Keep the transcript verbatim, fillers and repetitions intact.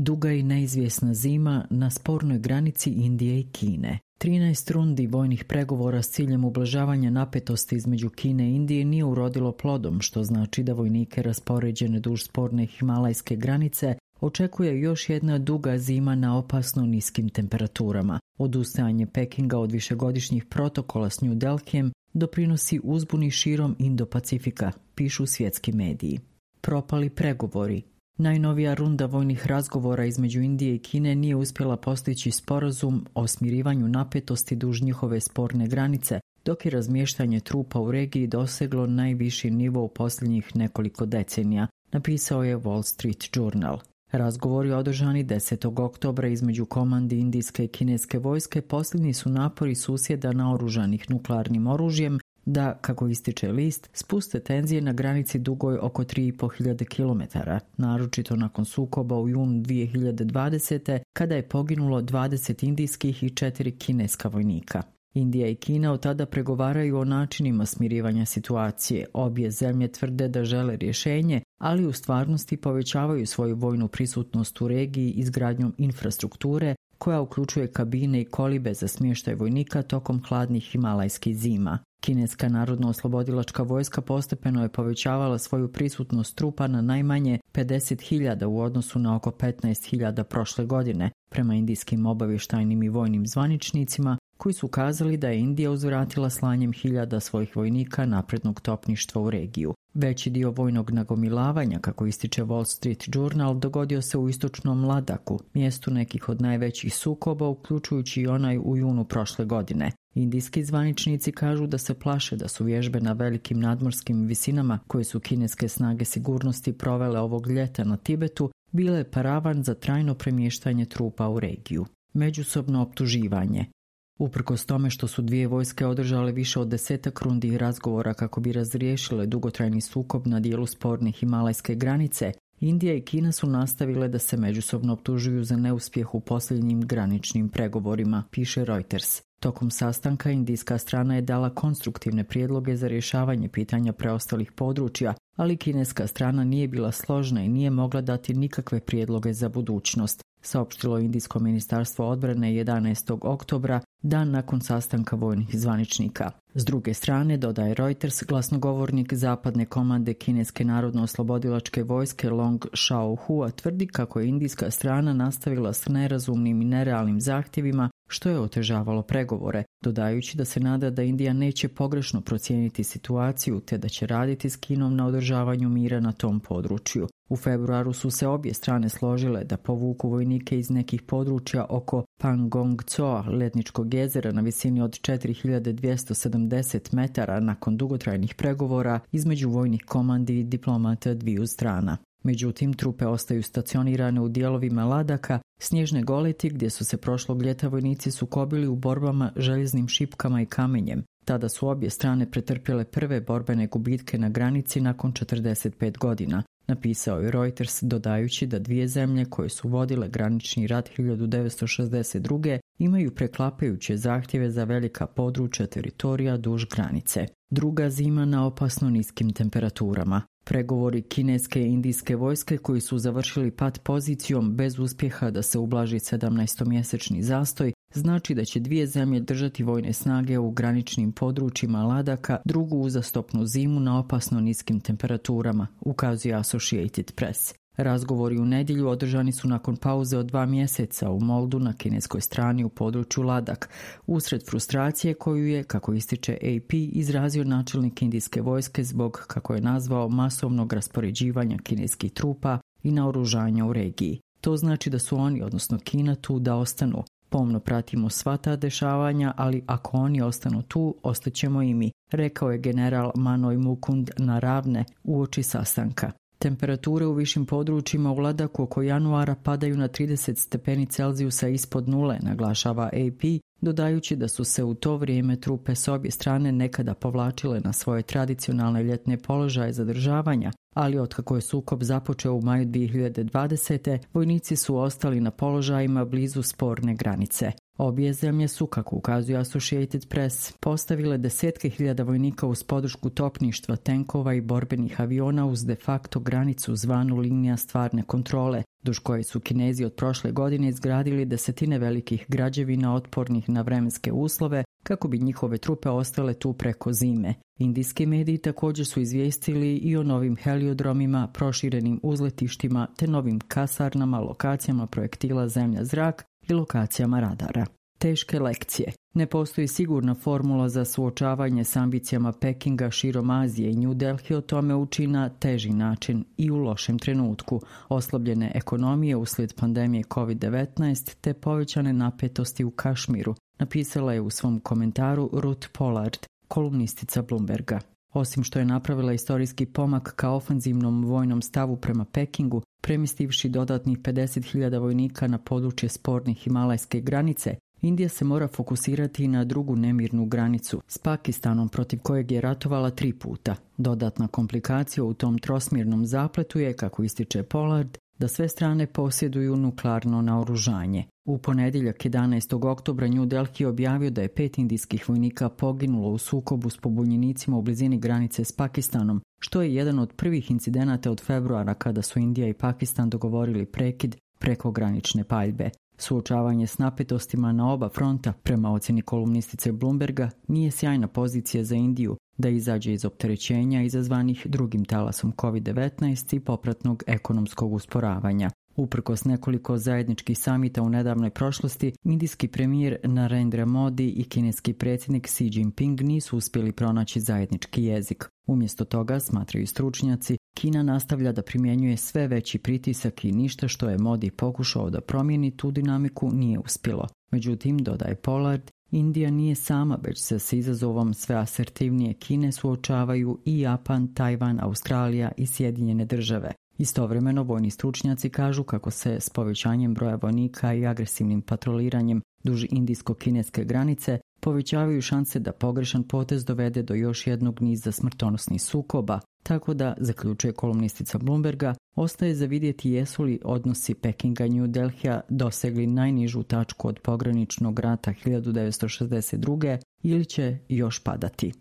Duga i neizvjesna zima na spornoj granici Indije i Kine. trinaest rundi vojnih pregovora s ciljem ublažavanja napetosti između Kine i Indije nije urodilo plodom, što znači da vojnike raspoređene duž sporne himalajske granice očekuje još jedna duga zima na opasno niskim temperaturama. Odustajanje Pekinga od višegodišnjih protokola s New Delhijem doprinosi uzbuni širom Indo-Pacifika, pišu svjetski mediji. Propali pregovori. Najnovija runda vojnih razgovora između Indije i Kine nije uspjela postići sporazum o smirivanju napetosti duž njihove sporne granice, dok je razmještanje trupa u regiji doseglo najviši nivo u posljednjih nekoliko decenija, napisao je Wall Street Journal. Razgovori održani desetog oktobra između komandi indijske i kineske vojske posljednji su napori susjeda naoružanih nuklearnim oružjem da, kako ističe list, spuste tenzije na granici dugoj oko tri i pol hiljade kilometara, naročito nakon sukoba u junu dvije hiljade dvadesete kada je poginulo dvadeset indijskih i četiri kineska vojnika. Indija i Kina od tada pregovaraju o načinima smirivanja situacije. Obje zemlje tvrde da žele rješenje, ali u stvarnosti povećavaju svoju vojnu prisutnost u regiji izgradnjom infrastrukture koja uključuje kabine i kolibe za smještaj vojnika tokom hladnih himalajskih zima. Kineska narodno-oslobodilačka vojska postepeno je povećavala svoju prisutnost trupa na najmanje pedeset hiljada u odnosu na oko petnaest hiljada prošle godine, prema indijskim obavještajnim i vojnim zvaničnicima, koji su kazali da je Indija uzvratila slanjem hiljada svojih vojnika naprednog topništva u regiju. Veći dio vojnog nagomilavanja, kako ističe Wall Street Journal, dogodio se u istočnom Ladaku, mjestu nekih od najvećih sukoba, uključujući i onaj u junu prošle godine. Indijski zvaničnici kažu da se plaše da su vježbe na velikim nadmorskim visinama koje su kineske snage sigurnosti provele ovog ljeta na Tibetu bile paravan za trajno premještanje trupa u regiju. Međusobno optuživanje. Uprkos tome što su dvije vojske održale više od desetak rundi razgovora kako bi razriješile dugotrajni sukob na dijelu sporne himalajske granice, Indija i Kina su nastavile da se međusobno optužuju za neuspjeh u posljednjim graničnim pregovorima, piše Reuters. Tokom sastanka indijska strana je dala konstruktivne prijedloge za rješavanje pitanja preostalih područja, ali kineska strana nije bila složna i nije mogla dati nikakve prijedloge za budućnost, saopštilo Indijsko ministarstvo odbrane jedanaestog oktobra, dan nakon sastanka vojnih zvaničnika. S druge strane, dodaje Reuters, glasnogovornik zapadne komande kineske narodno-oslobodilačke vojske Long Shao-hua tvrdi kako je indijska strana nastavila s nerazumnim i nerealnim zahtjevima, što je otežavalo pregovore, dodajući da se nada da Indija neće pogrešno procijeniti situaciju te da će raditi s Kinom na održavanju mira na tom području. U februaru su se obje strane složile da povuku vojnike iz nekih područja oko Pangong Tsoa, letničkog jezera na visini od četiri hiljade dvjesto sedamdeset metara nakon dugotrajnih pregovora između vojnih komandi i diplomata dviju strana. Međutim, trupe ostaju stacionirane u dijelovima Ladaka, snježne goleti gdje su se prošlog ljeta vojnici sukobili u borbama željeznim šipkama i kamenjem. Tada su obje strane pretrpjele prve borbene gubitke na granici nakon četrdeset pet godina, napisao je Reuters, dodajući da dvije zemlje koje su vodile granični rat hiljadu devetsto šezdeset druge imaju preklapajuće zahtjeve za velika područja teritorija duž granice. Druga zima na opasno niskim temperaturama. Pregovori kineske i indijske vojske koji su završili pat pozicijom bez uspjeha da se ublaži sedamnaestomjesečni zastoj znači da će dvije zemlje držati vojne snage u graničnim područjima Ladaka drugu uzastopnu zimu na opasno niskim temperaturama, ukazuje Associated Press. Razgovori u nedjelju održani su nakon pauze od dva mjeseca u Moldu na kineskoj strani u području Ladak, usred frustracije koju je, kako ističe A P, izrazio načelnik indijske vojske zbog, kako je nazvao, masovnog raspoređivanja kineskih trupa i naoružanja u regiji. To znači da su oni, odnosno Kina, tu da ostanu. Pomno pratimo sva ta dešavanja, ali ako oni ostanu tu, ostaćemo i mi, rekao je general Manoj Mukund Naravne uoči sastanka. Temperature u višim područjima u Ladaku oko januara padaju na trideset stepeni Celzijusa ispod nule, naglašava A P, dodajući da su se u to vrijeme trupe s obje strane nekada povlačile na svoje tradicionalne ljetne položaje zadržavanja, Ali otkako je sukob započeo u maju dvije hiljade dvadesete. vojnici su ostali na položajima blizu sporne granice. Obje zemlje su, kako ukazuje Associated Press, postavile desetke hiljada vojnika uz podršku topništva, tenkova i borbenih aviona uz de facto granicu zvanu linija stvarne kontrole, duž koje su Kinezi od prošle godine izgradili desetine velikih građevina otpornih na vremenske uslove kako bi njihove trupe ostale tu preko zime. Indijski mediji također su izvijestili i o novim heliodromima, proširenim uzletištima te novim kasarnama, lokacijama projektila zemlja-zrak i lokacijama radara. Teške lekcije. Ne postoji sigurna formula za suočavanje s ambicijama Pekinga širom Azije i New Delhi o tome uči na teži način i u lošem trenutku, oslabljene ekonomije uslijed pandemije kovid devetnaest te povećane napetosti u Kašmiru, napisala je u svom komentaru Ruth Pollard, kolumnistica Bloomberga. Osim što je napravila istorijski pomak ka ofenzivnom vojnom stavu prema Pekingu, premjestivši dodatnih pedeset hiljada vojnika na područje spornih himalajske granice, Indija se mora fokusirati na drugu nemirnu granicu s Pakistanom protiv kojeg je ratovala tri puta. Dodatna komplikacija u tom trosmjernom zapletu je, kako ističe Pollard, da sve strane posjeduju nuklearno naoružanje. U ponedjeljak jedanaestog oktobra New Delhi objavio da je pet indijskih vojnika poginulo u sukobu s pobunjenicima u blizini granice s Pakistanom, što je jedan od prvih incidenata od februara kada su Indija i Pakistan dogovorili prekid prekogranične paljbe. Suočavanje s napetostima na oba fronta, prema ocjeni kolumnistice Bloomberga, nije sjajna pozicija za Indiju da izađe iz opterećenja izazvanih drugim talasom kovid devetnaest i popratnog ekonomskog usporavanja. Uprkos nekoliko zajedničkih samita u nedavnoj prošlosti, indijski premijer Narendra Modi i kineski predsjednik Xi Jinping nisu uspjeli pronaći zajednički jezik. Umjesto toga, smatraju stručnjaci, Kina nastavlja da primjenjuje sve veći pritisak i ništa što je Modi pokušao da promijeni tu dinamiku nije uspjelo. Međutim, dodaje Pollard, Indija nije sama, već se s izazovom sve asertivnije Kine suočavaju i Japan, Tajvan, Australija i Sjedinjene države. Istovremeno, vojni stručnjaci kažu kako se s povećanjem broja vojnika i agresivnim patroliranjem duž indijsko-kineske granice povećavaju šanse da pogrešan potez dovede do još jednog niza smrtonosnih sukoba, tako da, zaključuje kolumnistica Bloomberga, ostaje za vidjeti jesu li odnosi Pekinga i New Delhija dosegli najnižu tačku od pograničnog rata hiljadu devetsto šezdeset druge ili će još padati.